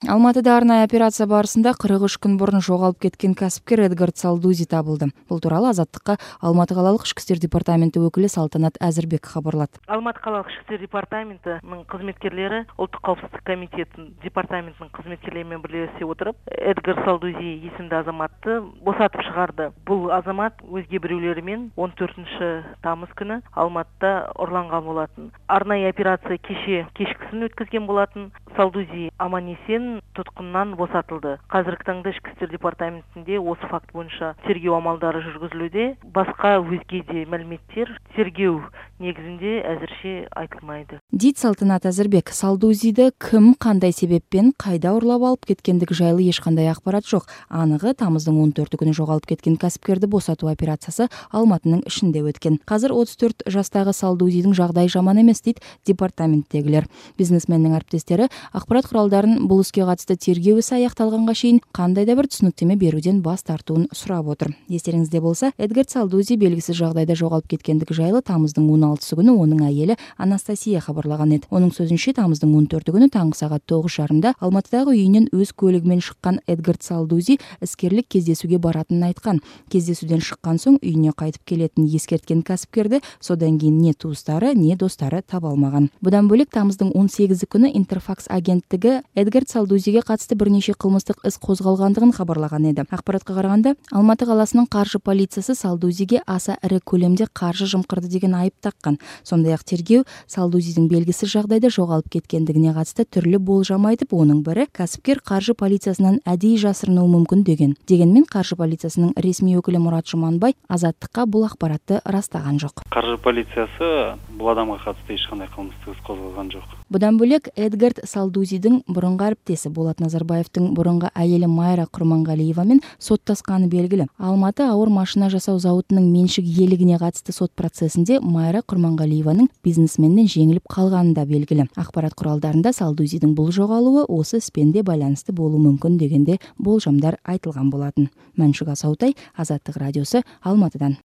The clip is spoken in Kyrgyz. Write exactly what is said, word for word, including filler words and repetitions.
Алматыда арнайы операция барысында кырк үч күн мурун жоголуп кеткен касипкер Эдгард Салдузи табылды. Бул тууралуу Азаттыкка Алматы калалык ички иштер департаменти өкүлү Салтанат Азырбек кабарлады. Алматы калалык ички иштер департаментинин кызметкерлери Улуттук коопсуздук комитетинин департаментинин кызметкерлери менен бирлешип отуруп Эдгард Салдузи исимдүү азаматты босотуп чыгарды. Бул азамат өзге бирөөлөрү менен он төртүнчү тамыз күнү Алматыда урланган болотун. Арнайы операция кеше кечкисин өткөзгөн болотун. Салдузи аман-эсен туткундан босотулду. Азыркы таңда ички иштер департаментинде осы факт боюнча тергөө амалдары жүргүзүлүүдө. Башка өзге де маалиметтер тергөө негизинде азырча айтылмайды. Дейт Салтанат Азырбек. Салдузиди ким, кандай себеппен, кайда урлап алып кеткендиги жайлуу эч кандай акбарат жок. Аныгы тамыздын он төртү күнү жоголуп кеткен касипкерди босотуу операциясы Алматынын ишинде өткөн. Азыр отуз төрт жаштагы Салдузидин жагдайы жаман эмес дейт департаменттегилер. Бизнесмендин арбиттестери акбарат куралдарын бул иске катысты тергөө иши аякталганга чейин кандайда бир түшүнүктөмө берүүдөн баш тартууну сурап отур. Эстериңизде болсо, Эдгард Салдузи белгисиз жагдайда жоголуп кеткендиги жайлуу тамыздын он алтысы күнү онун айели Анастасия кабарлаган эди. Онун сөзүнчө, тамыздын он төртү күнү таңкы саат тогуз жарымда Алматыдагы үйүнөн өз көлүгү менен чыккан Эдгард Салдузи искерлик кездесүүгө баратынын айткан. Кездесүүдөн чыккан соң үйүнө кайтып келетинин эскерткен касипкерди содан кийин не туустары, не достору таба алмаган. Будан бөлөк тамыздын он сегизи күнү Интерфакс агенттиги Эдгард Салдузиге катысты бир нече кылмыштык ис козголгандыгын кабарлаган эди. Акбаратка караганда, Алматы каласынын каржы полициясы Салдузиге аса ири көлөмдө каржы жымкырды деген айып таккан. Сондай ак тергөө Салдузидин белгисиз жагдайда жоголуп кеткендигине катысты түрлүү болжам айтып, онун бири касипкер каржы полициясынан адий жасырынуу мүмкүн деген. Дегенмен каржы полициясынын ресми өкүлү Мурат Жуманбай Азаттыкка бул акбаратты ырастаган жок. Каржы полициясы бул адамга катысты эч кандай кылмыштык ис козголгон жок. Будан бөлөк Эдгард Салдузидин мурунку арбиттеси Болот Назарбаевдин мурунку айели Майра Курмангалиева менен соттасканы белгилүү. Алматы ауыр машина жасоо заводунун меншик ээлигине катысты сот процессинде Майра Курмангалиеванын бизнесменден жеңилип калганы да белгилүү. Акбарат куралдарында Салдузидин бул жоголуу осы испенде байланыштуу болуу мүмкүн дегенде болжамдар айтылган болотун. Маншук Асаутай, Азаттык радиосу, Алматыдан.